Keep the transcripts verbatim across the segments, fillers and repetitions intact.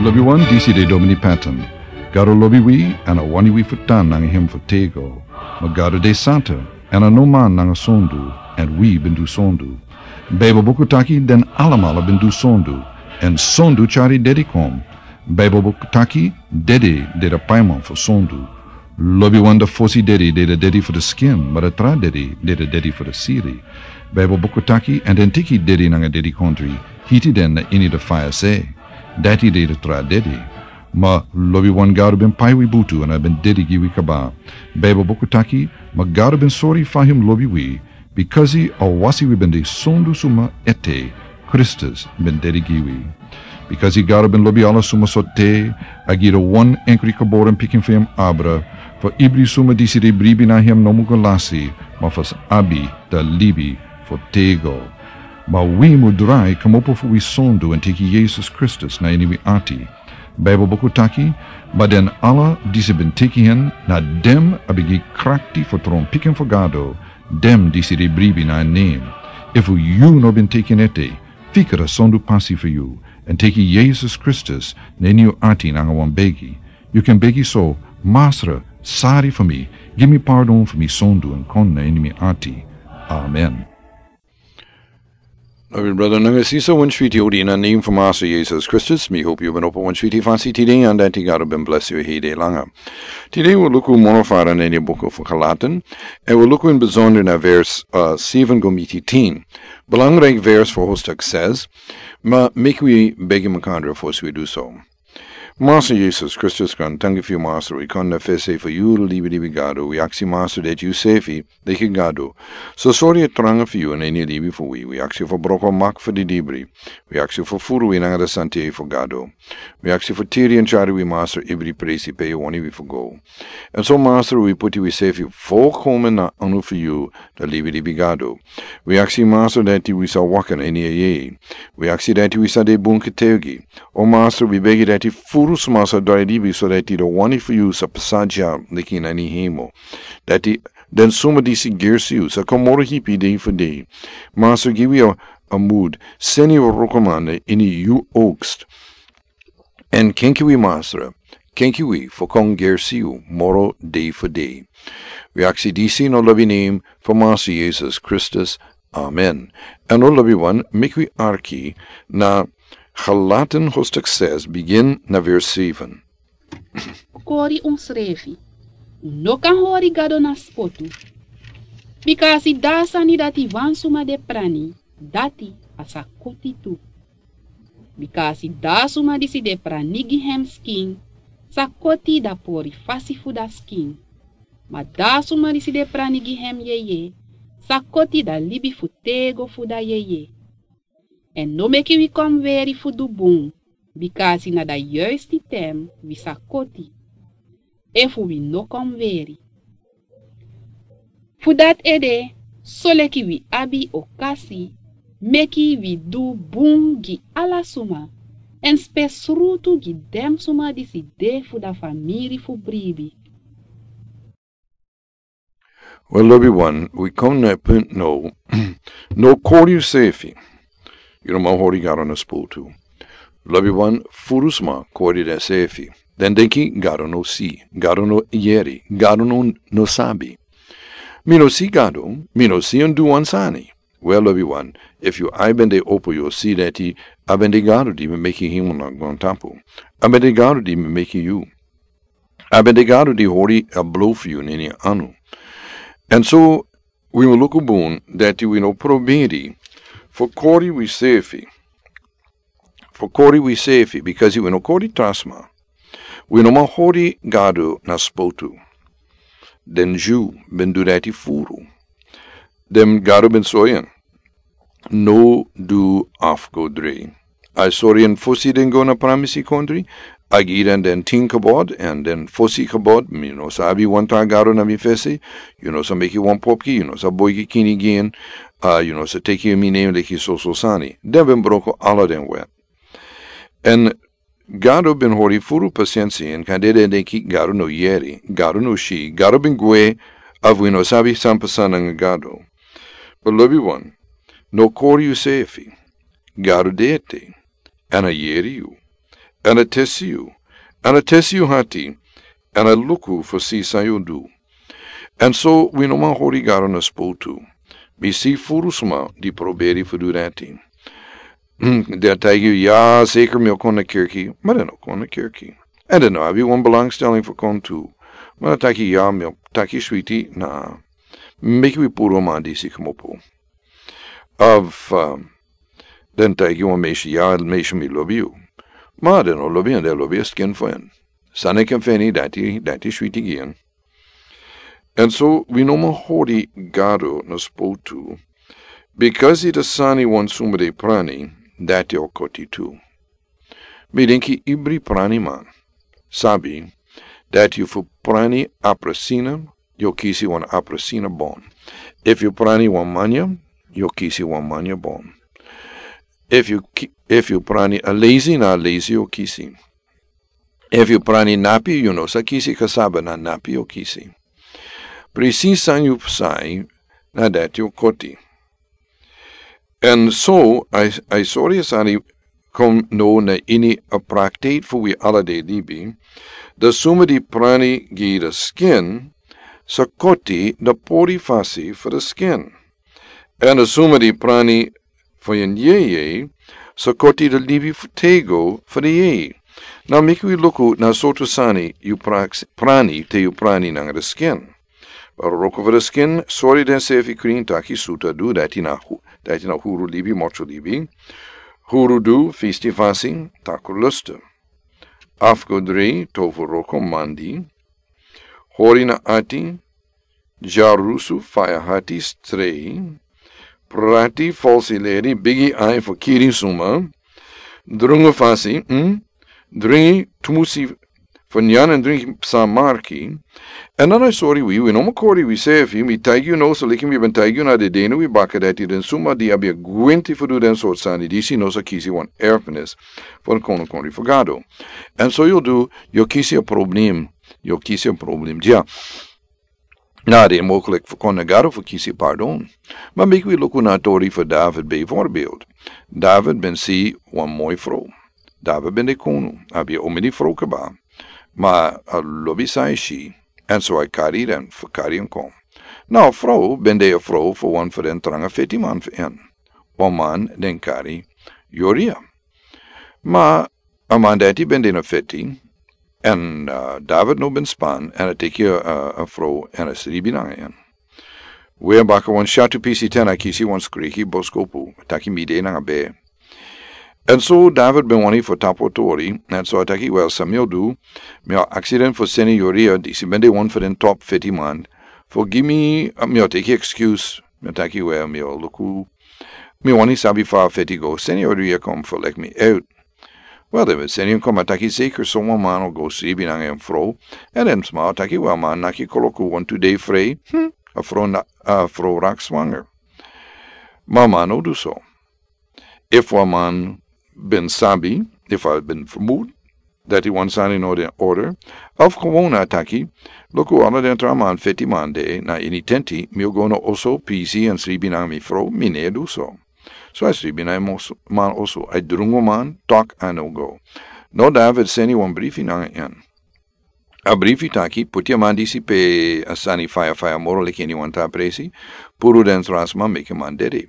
Lobiwan, disi de Domini Patton. Gado lobi wi, èn a wani wi fu tan nanga hem fu tego. Ma Gado de santa, èn a no man nanga sondu, èn wi ben du sondu. Baibel buku taki den alamala ben du sondu, èn sondu tyari dedi kon. Baibel buku taki dede de da paiman fu sondu. Lobiwan, da fosi dedi de da dedi fu da skin, ma da tra dedi de da dedi fu da siri. Baibel buku taki, èn den teki dedi nanga dedikondri, hiti den na ini da faya se. Dati de da tra dedi. Ma lobiwan, Gado ben pai wi butu èn a ben dedi gi wi kaba. Baibel buku taki, ma Gado ben sori fa hem lobi wi, bikasi a wasi wi ben de sondu suma ete, Kristus ben dedi gi wi. Bikasi Gado ben lobi ala suma so te, a gi da wan enkri geboren pikin fu hem abra, fu ibri suma disi de bribi na hem no mu go lasi, ma fu sa abi da libi fu tego. Ma wi mu drai kmopo fu wi sondu èn teki Yesus Kristus na ini wi ati. Baibel buku taki, ma den ala disi ben teki hen, na dem a ben gi krakti fu tron pikin fu Gado, dem disi de bribi na en nen. Efu yu no ben teki en ete, fikra sondu pasi fu yu, èn teki Yesus Kristus na ini yu ati nanga wan begi. Yu kan begi so: Masra, sari fu mi, gi mi pardon fu mi sondu èn kon na ini mi ati. Amen. Lobi brada nanga sisa, wan switi odi na nen fu Masra Yesus Kristus. Mi hopi yu ben opo wan switi fasi tide, èn dati Gado ben blesi yu hede langa. Tide wi luku moro fara na ini buku fu Galatan, èn wi luku in bizonder na vers, uh, seven go miti tin. Belangrijk vers fu hostak ses, ma meki wi begi makandra fosi wi du so. Masra Yesus Kristus, kon tangi fu yu Masra, wi kon na fesi fu yu libilibi Gado, wi aksi Masra dati yu sefi, deki Gado, so sori e tranga fu yu na ini libi fu wi, wi aksi fu broko mak fu di dibri, wi aksi fu furu wi nanga da sante fu Gado. Wi aksi fu tiri èn tyari wi Masra ibri presi pe yu wani wi fu go. Èn so Masra wi puti wi sefi volkomen na anu fu yu, da libilibi Gado. Wi aksi Masra dati wi sa waka na ini a yeye. Wi aksi dati wi sa de bun ketegi. O Masra, wi begi dati furu sma sa drai libi so dati da wani fu yu sa pasa dya leki na ini hemel. Dati den suma disi gersi yu sa kon moro hipi dei fu dei. Masra, gi wi a, a mudi, seni wrokoman na ini yu oogst. Èn kenki wi Masra, kenki wi fu kon gersi yu moro dei fu dei. Wi aksi disi na lobi nen fu Masra Yesus Kristus. Amen. Èn o lobiwan, meki wi arki na Galatan hostak ses, bigin na vers seven. Kori unsrefi. Un no kan hori Gado na spotu. Bika a si da sani dati wan suma de prani, dati a sa koti tu. Bika a si da suma disi de prani gi hem skin, sa koti da pori fasi fu da skin. Ma da suma disi de prani gi hem yeye, sa koti da libi fu tego fu da yeye. Èn no meki wi kon weri fu du bun, bika a si na da yuisti ten wi sa koti, efu wi no kon weri. Fu dati ede, soleki wi abi okasi, meki wi du bun gi ala suma, èn spesrutu gi den suma disi de fu da famiri fu bribi. Wel, lobiwan, wi kon na a punt now. No kori yusefi. Yu no man hori Gado na spotu. Lobiwan, furu sma kori densefi. Den denki Gado no si, Gado no yere, Gado no, no sabi. Mi no si Gado, mi no si en du wan sani. Wel, lobiwan, efu yu ai ben de opo, yu o si dati a ben de Gado di ben meki hemel nanga grontapu. A ben de Gado di ben meki yu. A ben de Gado di hori a blo fu yu na en anu. Èn so wi mus luku bun dati wi no proberi fu kori wisefi. Fu kori wisefi, bikasi wi no kori tra sma. Wi no man hori Gado na spotu. Den Dyu ben du dati furu. Den Gado ben sori en: No du afgodri. A sori en fosi den go na Pramisi Kontri. A gi den den tin gebod, èn den fosi gebod: Mi no sa abi wan tra gado na mi fesi. Yu no sa meki wan popki, yu no sa boigi kini gi en. A, yu no sa teki mi nen leki soso sani. Den ben broko ala den wet. Èn Gado ben hori furu pasensi, èn kande den denki Gado no yere, Gado no si, Gado ben gwe, of wi no sabi san pasa nanga Gado. But lobiwan, no kori yusefi. Gado de ete, èn a yere yu. Èn a tesi yu, èn a tesi yu hati, èn a luku fu si san yu du. Èn so wi no man hori Gado na spotu. Mi si furu suma di proberi fu du dati. Den a taigi yu, ya, seker mi o kon na kirki, ma den no kon na kirki. Èn den no abi wan belangstelling fu kon tu. Ma den a taigi ya, mi o taki switi na. Meki wi puru man disi kmopo. Of den taigi wan mesi, ya, mesi, mi lobi yu. Ma den no lobi en, den lobi a skin fu en. San den kan feni, dati, dati switi gi en. Èn so wi no man hori Gado na spotu. Bikasi di sani wan suma de prani, dati o koti tu. Mi denki ibri prani man sabi dati yu fu prani aprasina, yu o kisi wan aprasina bon. Efu yu prani wan manya, yu o kisi wan manya bon. Efu yu ki-, efu yu prani a lazy, na a lazy yu o kisi. Efu yu prani napi, yu no sa kisi kasaba, na napi yu o kisi. Presis san yu sai, na dati yu o koti. Èn so a, a sori sani kon no na ini a praktik fu wi ala dei libi. Di suma di prani gi di skin sa koti di pori fasi fu di skin. Èn di suma di prani fu yu yeye sa koti di libi fu tego fu di yeye. Now meki wi luku na sortu sani yu praks-, prani te yu prani nanga di skin. Wroko fu di skin, sori den sefi krin, taki suta du, dati na hu-, dati na huru libi, mocho libi. Huru du, fisti fasi, taku lustu. Afgodri, tofu wroko, mandi. Hori na ati, dyarusu, faya hati, strei. Prati, falsi leri, bigi ai fu kiri suma. Drungu fasi, mm? Dringi tumusi fu nyan èn dringi san marki. Èn dan a sori wi, wi no man kori wi sefi, mi taigi yu now, so leki mi ben taigi yu na den dei na wi baka dati, den suma di abi a gwenti fu du den sortu sani disi no sa kisi wan erfenis fu den kono kon ri fu Gado. Èn so yu du, yu kisi a problem, yu kisi a problem. Dya. Na den mogelik fu kon na Gado fu kisi pardon. Ma meki wi luku na a tori fu David bijvoorbeeld. David ben si wan moi fro. David ben de kono, abi a omeni fro kaba. Ma a lobi san a si, èn so a kari den fu kari en kon. Na a fro ben de a fro fu wan fu den tranga feti man fu en. Wan man den kari Uria. Ma a man dati ben de na feti, èn, uh, David no ben span, èn a teki a, a fro, èn a sribi nanga en. We baka wan shatu pisi ten a kisi wan skriki boskopu, taki mi de nanga be. Èn so David ben wani fu tapu a tori, èn so a taki, well, san mi o du, mi o aksi den fu seni Uria, disi ben de wan fu den top feti man, fu gi mi, uh, mi o teki excuse, mi o taki, well, mi o luku, mi wani sabi fa a feti go, seni Uria kon fu leki mi out. Well, den ben seni en kon, a taki, seker so wan man o go sribi nanga en fro, èn den sma o taki, well, man naki koloku wantu dei frei, hmm, a fro na, a fro rak swanger. Ma a man no du so. Efu a man ben sabi, efu a ben vermoed dati wan sani no de in orde, of gewoon a taki, luku, ala den tra man feti man de na ini tenti, mi o go na oso pisi èn sribi nanga mi fro, mi no e du so. So a sribi nanga en oso, man oso, a drungu man, tok a no go. No, David seni wan brifi nanga en. A brifi taki, puti a man disi pe a sani faya faya moro leki ini wan tra presi, puru den tra sma, meki a man dede.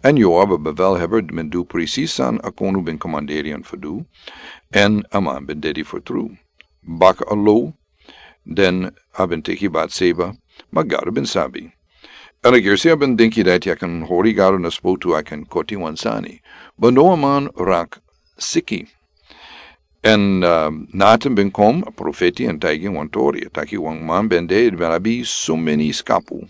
Èn Yoab a bevelhebber ben du presis san a konu ben komanderi en fu du, èn a man ben dede fu tru. Baka a lo, den a ben teki Batseba, ma Gado ben sabi. Èn a gersi a ben denki dati a kan hori Gado na spotu, a kan koti wan sani. But no, a man rak siki. Èn, uh, Natan ben kon, a profeti, èn taigi en wan tori, a taki wan man ben de, ben abi so meni skapu.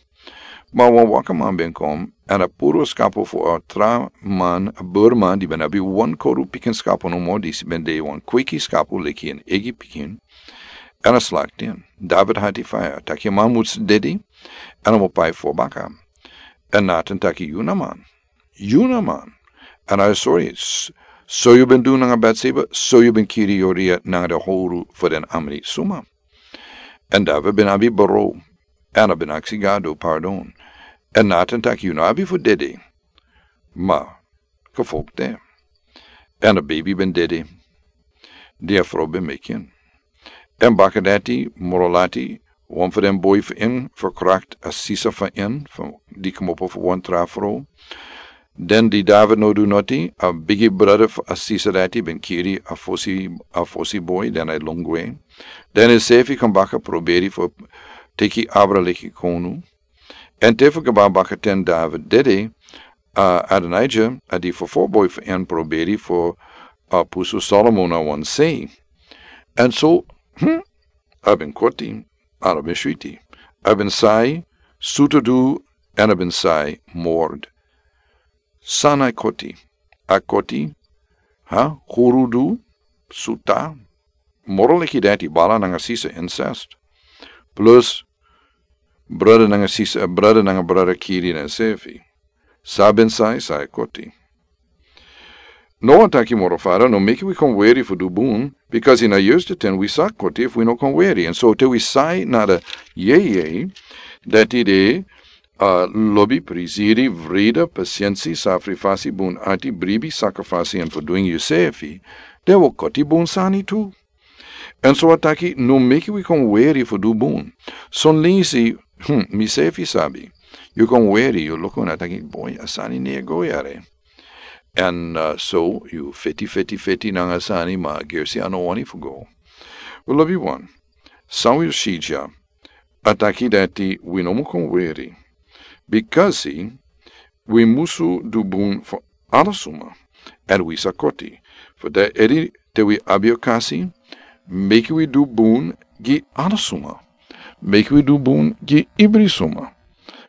Ma wan wakaman ben kon, èn a puru a skapu fu a tra man, a burman, di ben abi wan koru pikin skapu nomo, disi ben de wan kweki skapu leki en eigi pikin. Èn a slakti en. David hati faya, taki a man mus dede, èn a mus pai fu baka. Èn Natan taki, yu na man. Yu na man. Èn a sori, s-, so yu ben du nanga Batseba, so yu ben kiri Uria nanga den howru fu den amri suma. Èn David ben abi baro, èn a ben aksi Gado pardon. Èn Natan taki, yu no abi fu dede. Ma, ka fokte. Èn a baby ben dede. di a frow ben meki en. Èn baka dati moro lati wan fu den boi fu en ferkrakt a sisa fu en fu di kmopo fu wan tra frow. Den di David no du noti, a bigi brada fu a sisa dati ben kiri a fosi, a fosi boi, den a lon gwe. Den ensefi kon baka proberi fu teki abra leki konu. Èn te fu kaba baka ten David dede, a Adonija, a di fofo boi fu en, proberi fu a pusu Salomo na wan sei. Èn so, hmm, a ben koti, a no ben switi. A ben sai, sutu du, èn a ben sai, mord. San a koti, a koti, ha, huru du, suta, moro leki dati bala nanga sisa, incest. Plus, brada nanga sisa, brada nanga brada kiri na sefi. San a ben sai, san a koti. No a taki moro fara, no meki wi kon weri fu du bun, because ini a yus te ten wi sa koti fu wi no kon weri. Èn so te wi sai nada yeye, dati de, a lobi, prisiri, vrida, pasiensi, safri fasi, bun ati, bribi, saka fasi, èn fu duing yusefi, den wi koti bun sani tu. Èn so a taki, no meki wi kon weri fu du bun. Son lingsi, hmm, misefi sabi. Yu kon weri, yu luku na taki, boi, a sani no e go yere. Èn, a, so, yu feti, feti, feti nanga sani, ma gersi a no wani fu go. Wi lobi wan. San wi si dya, a taki dati wi no mu kon weri. Bikasi wi musu du bun fu ala suma, èn wi sa koti. Fu dati ede te wi abi okasi, meki wi du bun gi ala suma. Meki wi du bun gi ibri suma.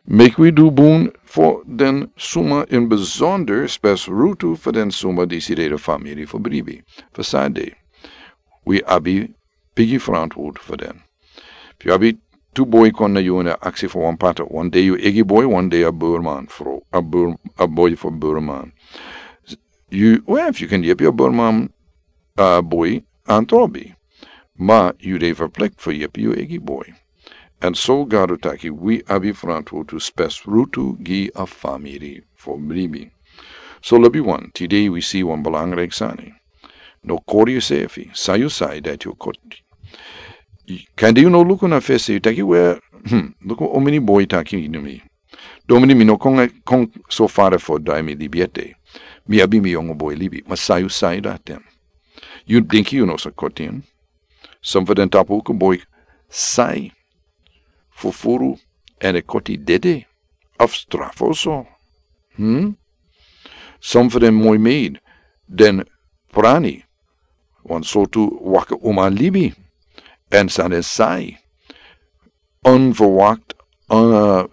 Meki wi du bun fu den suma ini bizonder, spesrutu fu den suma disi de famiri fu bribi. Fu san de, wi abi bigi frantword fu den. Fu yu abi tu boi kon na yu èn a aksi fu wan pata, wan dei yu eigi boi, wan dei a burman fro, a bur-, a boi fu burman. Yu, we, fu yu kan yepi a burman, a boi, antrobi. Ma yu de verplicht fu yepi yu eigi boi. Èn so Gado taki wi abi frantword fu spesrutu gi a famiri fu bribi. So lobi wan, tide wi si wan belangrijk sani. No kori yusefi, san yu sai dati yu koti. Kande yu no luku na fesi, yu taki we, hmm, luku omini boi taki ini mi. Domini mi no kon, kon so fara fu drai mi libi ete. Mi abi mi yongu boi libi, ma san yu sai dati. Yu denki yu no sa koti en. Son fu den tapu kon boi sai fu furu èn e koti dede, of strafu so. Hmm? Son fu den moi meid, den prani, wan sortu waka uma libi, èn san den sai. Onverwacht, a,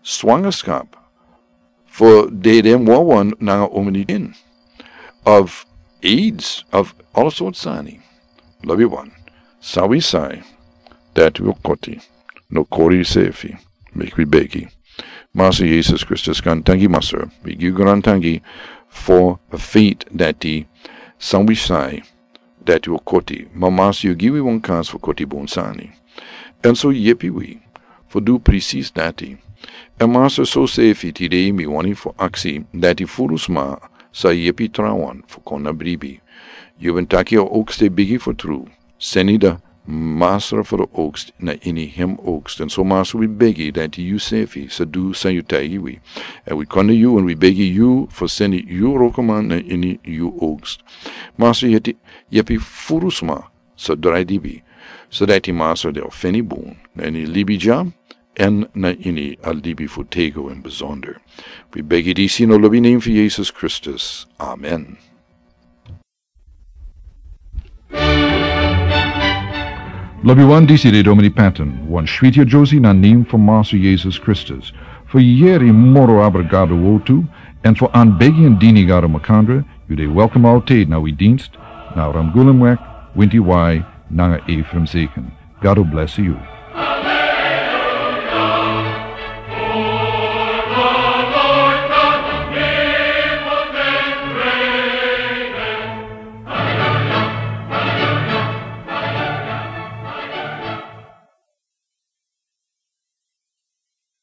zwangerschap. Fu dede wawan nanga omini en. Of aids, of all sorts sani. Lobi wan. San wi sai, dati wi koti. No kori yusefi. Meki wi begi. Massa Jesus Kristus, grantangi Massa. Wi gi yu grantangi fu a feit dati san wi sai, dati wi koti, ma Massa yu gi wi wan kans fu koti bun sani. Èn so yepi wi fu du presis dati. Èn Massa, so sefi tide mi wani fu aksi dati furu sma sa yepi trawan fu kon na bribi. Yu ben taki a oogst e bigi fu tru. Seni de masra fu de oogst na ini hem oogst. Èn so Massa wi begi dati yusefi sa du san yu taigi wi. Èn wi kon na yu èn wi begi yu fu seni yu wrokoman na ini yu oogst. Massa, yu heti yepi furu sma sa drai libi, so dati Massa den o feni bun na ini libi dya èn na ini a libi fu têgo in bizonder. Wi begi disi na lobi nen fu Jesus Kristus. Amen. Lobi wan, disi de Domini Patton, wan switi ajosi na nen fu Massa Jesus Kristus. Fu yeri moro abra Gado wortu, èn fu anbegi èn dini Gado makandra, yu de welkom altijd na wi dienst, na Ramgulemweg, Winti Wai, nanga Ephraim Zeken. Gado bless yu.